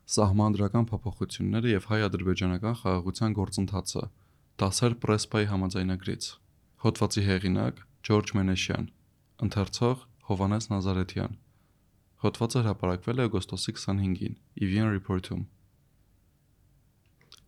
Սահմանադրական փոփոխությունները և հայ-ադրբեջանական խաղաղության գործընթացը, դասեր Պրեսպայի համաձայնագրից։ Հոդվածի հեղինակ Ջորջ Մենեշյան, ընթերցող Հովհաննես Նազարեթյան։ Հոդվածը հրապարակվել է օգոստոսի 25-ին Evian Report-ում։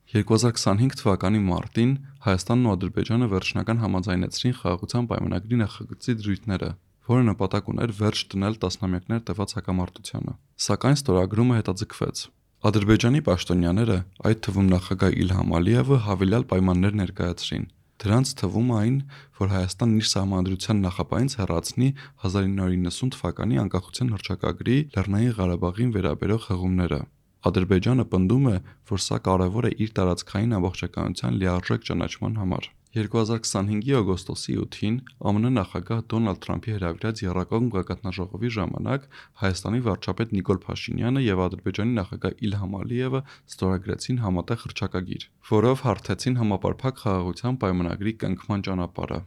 2025 թվականի մարտին Հայաստանն ու Ադրբեջանը վերջնական համաձայնեցրին խաղաղության պայմանագրի նախագծի դրույթները, որը նպատակ ուներ վերջ դնել տասնամյակներ տևած հակամարտությանը։ Սակայն ստորագրումը հետաձգվեց։ Ադրբեջանի պաշտոնյաները, այդ թվում նախագահ Իլհամ Ալիևը, հավելյալ պայմաններ ներկայացրին։ Դրանց թվում այն, որ Հայաստանն իր սահմանադրության նախապայից հեռացնի 1990 թվականի անկախության հռչակագրի Լեռնային Ղարաբաղին վերաբերող հղումները։ Ադրբեջանը պնդում է, որ սա կարևոր է իր տարածքային ամբողջականության լիարժեք ճանաչման համար։ 2025-ի օգոստոսի 8-ին ԱՄՆ նախագահ Դոնալդ Թրամփի հրավիրած եռակողմ գագաթնաժողովի ժամանակ Հայաստանի վարչապետ Նիկոլ Փաշինյանը եւ Ադրբեջանի նախագահ Իլհամ Ալիևը ստորագրեցին համատեղ հռչակագիր, որով հարթեցին համապարփակ խաղաղության պայմանագրի կնքման ճանապարհը։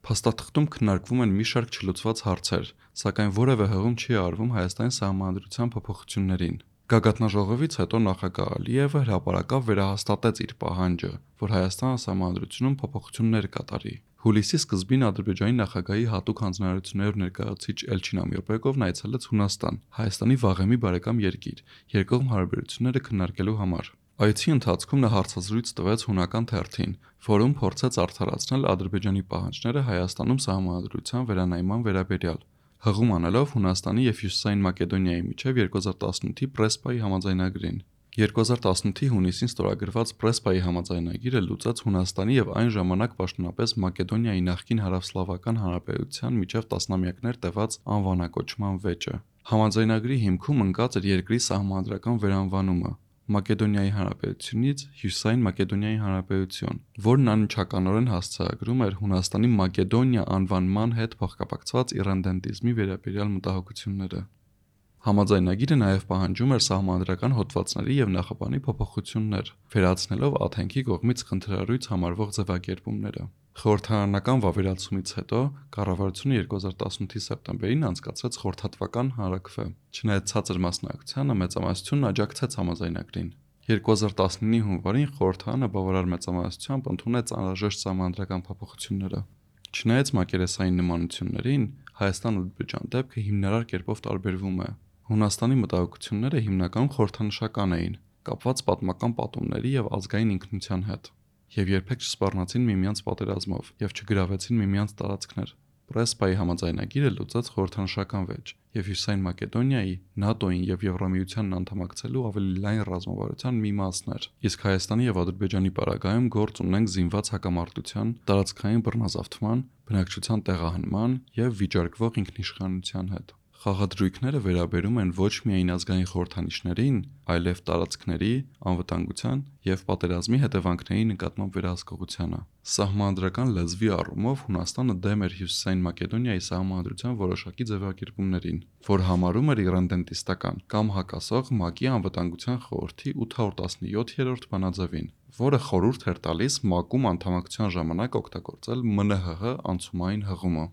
Փաստաթղթում քննարկվում են մի շարք չլուծված հարցեր, սակայն որևէ հղում չի արվում Հայաստանի սահմանադրության փոփոխություններին։ Գագաթնաժողովից հետո նախագահ Ալիևը հրապարակավ վերահաստատեց իր պահանջը, որ Հայաստանը սահմանադրությունում փոփոխություններ կատարի։ Հուլիսի սկզբին Ադրբեջանի նախագահի հատուկ հանձնարարություններով ներկայացուցիչ Էլչին Ամիրբեկովն այցելեց Հունաստան, Հայաստանի վաղեմի բարեկամ երկիր, երկկողմ հարաբերությունները քննարկելու համար։ Այցի ընթացքում նա հարցազրույց տվեց հունական թերթին, որում փորձեց արդարացնել Ադրբեջանի պահանջները Հայաստանում սահմանադրության վերանայման վերաբերյալ, հղում անելով Հունաստանի և Հյուսիսային Մակեդոնիայի միջև 2018-ի Պրեսպայի համաձայնագրին։ 2018-ի հունիսին ստորագրված Պրեսպայի համաձայնագիրը լուծեց Հունաստանի և այն ժամանակ պաշտոնապես Մակեդոնիայի նախկին Հարավսլավական Հանրապետության միջև տասնամյակներ տևած անվանակոչման վեճը։ Համաձայնագրի հիմքում ընկած էր երկրի սահմանադրական վերանվանումը Մակեդոնիայի Հանրապետությունից Հյուսիսային Մակեդոնիայի Հանրապետություն, որն անմիջականորեն հասցեագրում էր Հունաստանի Մակեդոնիա անվանման հետ փոխկապակցված իռենդենտիզմի վերաբերյալ մտահոգությունները։ Համաձայնագիրը նաև պահանջում էր սահմանադրական հոդվածների և նախաբանի փոփոխություններ, վերացնելով Աթենքի կողմից խնդրառույց համարվող ձևակերպումները։ Խորհրդարանական վավերացումից հետո կառավարությունը 2018-ի սեպտեմբերին անցկացրեց խորհրդատվական հանրաքվե։ Չնայած ցածր մասնակցությանը մեծամասնությունն աջակցեց համաձայնագրին։ 2019-ի հունվարին խորհրդարանը բավարար մեծամասնությամբ ընդունեց անհրաժեշտ սահմանադրական փոփոխությունները։ Չնայած մակերեսային նմանություններին, Հայաստան-Ադրբեջան դեպքը հիմնարար կերպով տարբերվում է։ Հունաստանի մտահոգությունները հիմնականում խորհրդանշական էին, կապված պատմական պատումների և ազգային ինքնության հետ, և երբեք չսպառնացին միմյանց պատերազմով և չգրավեցին միմյանց տարածքներ։ Պրեսպայի համաձայնագիրը լուծեց խորհրդանշական վեճ և Հյուսիսային Մակեդոնիայի, ՆԱՏՕ-ին և Եվրամիությանն անդամակցելու ավելի լայն ռազմավարության մի մասն էր, իսկ Հայաստանի և Ադրբեջանի պարագայում գործ ունենք զինված հակամարտության, տարածքային բռնազավթման, բնակչության տեղահանման և վիճարկվող ինքնիշխանության հետ։ Խաղադրույքները վերաբերում են ոչ միայն ազգային խորհրդանիշներին, այլև տարածքների, անվտանգության և պատերազմի հետևանքների նկատմամբ վերահսկողությանը։ Սահմանադրական լեզվի առումով Հունաստանը դեմ էր Հյուսիսային Մակեդոնիայի սահմանադրության որոշակի ձևակերպումներին, որ համարում էր իռենդենտիստական կամ հակասող ՄԱԿ-ի Անվտանգության խորհրդի 817-րդ բանաձևին, որը խորհուրդ էր տալիս ՄԱԿ-ում անդամակցության ժամանակ օգտագործել ՄՆՀՀ անցումային հղումը։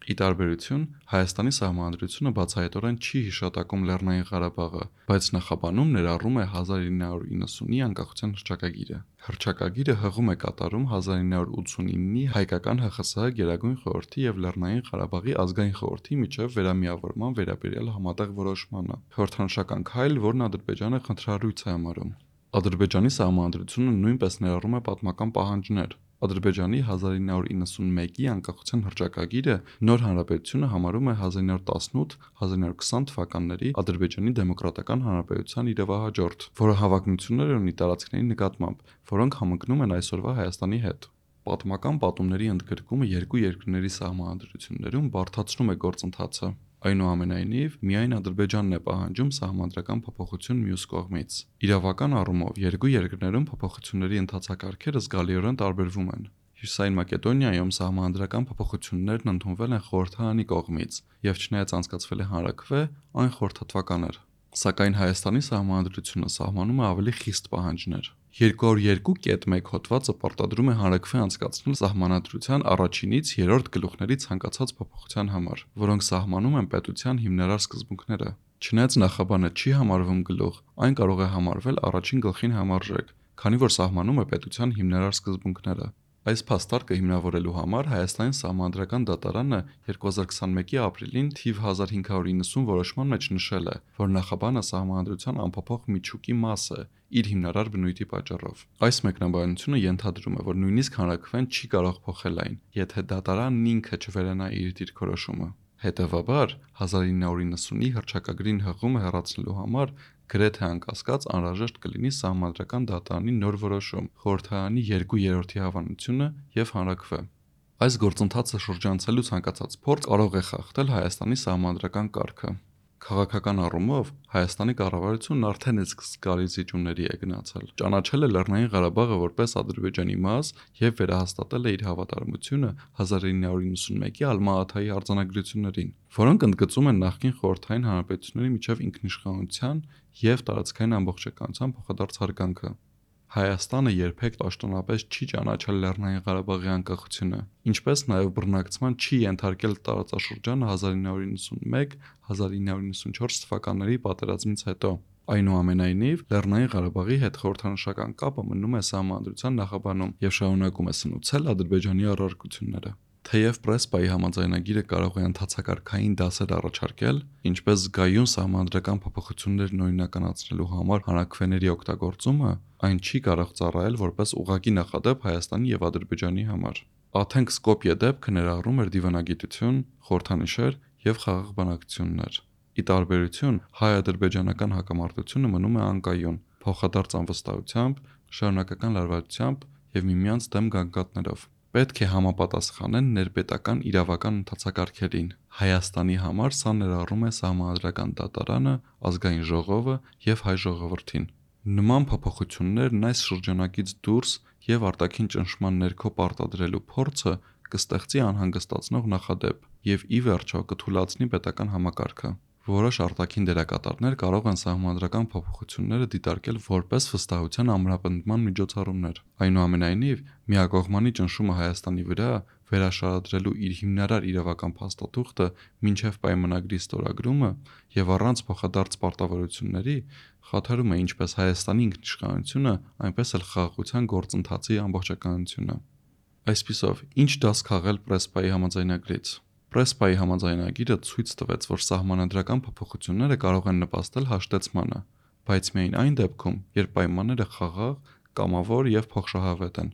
Ի տարբերություն, Հայաստանի սահմանադրությունը բացահայտորեն չի հիշատակում Լեռնային Ղարաբաղը, բայց նախաբանում ներառում է 1990-ի անկախության հռչակագիրը։ Հռչակագիրը հղում է կատարում 1989-ի հայկական ՀԽՍՀ Գերագույն խորհրդի և Լեռնային Ղարաբաղի ազգային խորհրդի միջև վերամիավորման վերաբերյալ համատեղ որոշմանը, խորհրդանշական քայլ, որն Ադրբեջանը խնդրառույց է համարում։ Ադրբեջանի սահմանադրությունը նույնպես ներառում է պատմական պահանջներ։ Ադրբեջանի 1991-ի անկախության հռչակագիրը նոր հանրապետությունը համարում է 1918-1920 թվականների Ադրբեջանի Դեմոկրատական Հանրապետության իրավահաջորդ, որը հավակնություններ ունի տարածքների նկատմամբ, որոնք համընկնում են այսօրվա Հայաստանի հետ։ Պատմական պատումների ընդգրկումը երկու երկրների սահմանադրություններում բարդացնում է գործընթացը։ Այնուամենայնիվ, միայն Ադրբեջանն է պահանջում սահմանադրական փոփոխություն մյուս կողմից։ Իրավական առումով երկու երկրներում փոփոխությունների ընթացակարգերը զգալիորեն տարբերվում են։ Հյուսիսային Մակեդոնիայում սահմանադրական փոփոխություններն ընդունվել են խորհրդարանի կողմից, եւ չնայած անցկացվել է հանրաքվե, այն խորհրդատվական էր։ Սակայն Հայաստանի սահմանադրությունը սահմանում է ավելի խիստ պահանջներ։ 202.1 հոդվածը պարտադրում է հանրաքվե անցկացնել սահմանադրության առաջինից երրորդ գլուխների ցանկացած փոփոխության համար, որոնք սահմանում են պետության հիմնարար սկզբունքները։ Չնայած նախաբանը չի համարվում գլուխ, այն կարող է համարվել առաջին գլխին համարժեք, քանի որ սահմանում է պետության հիմնարար սկզբունքները։ Այս փաստարկը հիմնավորելու համար Հայաստանի Սահմանադրական դատարանը 2021-ի ապրիլին թիվ 1590 որոշման մեջ նշել է, որ նախաբանը սահմանադրության անփոփոխ միջուկի մաս է իր հիմնարար բնույթի պատճառով։ Այս մեկնաբանությունը ենթադրում է, որ նույնիսկ հանրաքվեն չի կարող փոխել այն, եթե դատարանն ինքը չվերանա իր դիրքորոշումը։ Հետևաբար 1990-ի հռչակագրին հղումը հեռացնելու համար գրեթե անկասկած անհրաժեշտ կլինի Սահմանադրական դատարանի նոր որոշում, խորհրդարանի 2/3 հավանությունը եւ հանրաքվե։ Այս գործընթացը շրջանցելու ցանկացած փորձ կարող է խախտել Հայաստանի սահմանադրական կարգը։ Քաղաքական առումով Հայաստանի կառավարությունն արդեն իսկ զգալի զիջումների է գնացել։ Ճանաչել է Լեռնային Ղարաբաղը որպես Ադրբեջանի մաս եւ վերահաստատել է իր հավատարմությունը 1991-ի Ալմա-Աթայի արձանագրություններին, որոնք ընդգծում են նախկին խորհրդային հանրապետությունների միջև ինքնիշխանության եւ տարածքային ամբողջականության փոխադարձ հարգանքը։ Հայաստանը երբեք պաշտոնապես չի ճանաչել Լեռնային Ղարաբաղի անկախությունը, ինչպես նաև բռնակցման չի ենթարկել տարածաշրջանը 1991-1994 թվականների պատերազմից հետո։ Այնուամենայնիվ, Լեռնային Ղարաբաղի հետ խորհրդանշական կապը մնում է Սահմանադրության նախաբանում եւ շարունակում է սնուցել Ադրբեջանի առարկությունները։ Թեև Պրեսպայի համաձայնագիրը կարող է ընթացակարգային դասեր առաջարկել, ինչպես զգայուն սահմանադրական փոփոխություններն օրինականացնելու համար հանրաքվեների օգտագործումը, այն չի կարող ծառայել որպես ուղղակի նախադեպ Հայաստանի եւ Ադրբեջանի համար։ Աթենք-Սկոպիե դեպքը ներառում էր դիվանագիտություն, խորհրդանիշեր եւ խաղաղ բանակցություններ։ Ի տարբերություն, հայ-ադրբեջանական հակամարտությունը մնում է անկայուն, փոխադարձ անվստահությամբ, շարունակական լարվածությամբ եւ միմյանց դեմ գանգատներով։ Պետք է համապատասխանեն ներպետական իրավական ընթացակարգերին։ Հայաստանի համար սա ներառում է Սահմանադրական դատարանը, Ազգային ժողովը եւ հայ ժողովրդին։ Նման փոփոխություններն այս շրջանակից դուրս եւ արտաքին ճնշման ներքո պարտադրելու փորձը կստեղծի անհանգստացնող նախադեպ եւ ի վերջո կթուլացնի պետական համակարգը։ Որոշ արտաքին դերակատարներ կարող են սահմանադրական փոփոխությունները դիտարկել որպես վստահության ամրապնդման միջոցառումներ։ Այնուամենայնիվ, միակողմանի ճնշումը Հայաստանի վրա վերաշարադրելու իր հիմնարար իրավական փաստաթուղթը մինչև պայմանագրի ստորագրումը եւ առանց փոխադարձ պարտավորությունների խաթարում է ինչպես Հայաստանի ինքնիշխանությունը, այնպես էլ խաղաղության գործընթացի ամբողջականությունը։ Այսպիսով, ինչ դաս քաղել Պրեսպայի համաձայնագրից։ Պրեսպայի համաձայնագիրը ցույց տվեց, որ սահմանադրական փոփոխությունները կարող են նպաստել հաշտեցմանը, բայց միայն այն դեպքում, երբ պայմանները խաղաղ, կամավոր եւ փոխշահավետ են։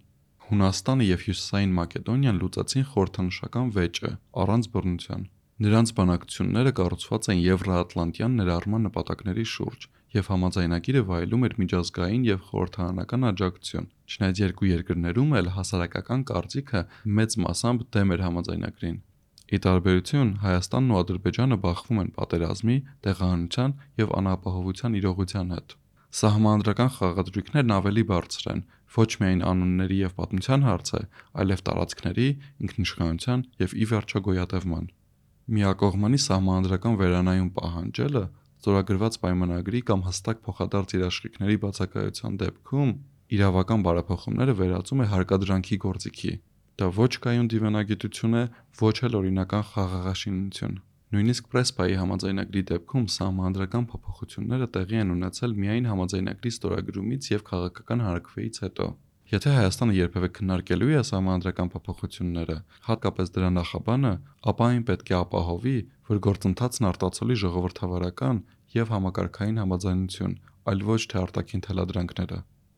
Հունաստանը եւ Հյուսիսային Մակեդոնիան լուծեցին խորհրդանշական վեճը առանց բռնության։ Նրանց բանակցությունները կառուցված են Եվրոատլանտյան ներառման նպատակների շուրջ, եւ համաձայնագիրը վայելում էր միջազգային եւ խորհրդարանական աջակցություն, չնայած երկու երկրներում էլ հասարակական կարծիքը մեծ մասամբ դեմ էր համաձայնագրին։ Ի տարբերություն, Հայաստանն ու Ադրբեջանը բախվում են պատերազմի, տեղահանության եւ անապահովության իրողության հետ։ Սահմանադրական խաղադրույքներն ավելի բարձր են, ոչ միայն անունների եւ պատմության հարց է, այլև տարածքների, ինքնիշխանության եւ ի վերջո գոյատևման։ Միակողմանի սահմանադրական վերանայում պահանջելը ստորագրված պայմանագրի կամ հստակ փոխադարձ երաշխիքների բացակայության դեպքում իրավական բարեփոխումները վերածում է հարկադրանքի գործիքի։ Դա ոչ կայուն դիվանագիտություն է, ոչ էլ օրինական խաղաղաշինություն։ Նույնիսկ Պրեսպայի համաձայնագրի դեպքում սահմանադրական փոփոխությունները տեղի են ունեցել միայն համաձայնագրի ստորագրումից եւ քաղաքական հանրաքվեից հետո։ Եթե Հայաստանը երբևէ քննարկելու է սահմանադրական փոփոխությունները, հատկապես դրա նախաբանը, ապա այն պետք է ապահովի, որ գործընթացն արտացոլի ժողովրդավարական եւ համակարգային համաձայնություն, այլ ոչ թե արտաքին թելադրանքները։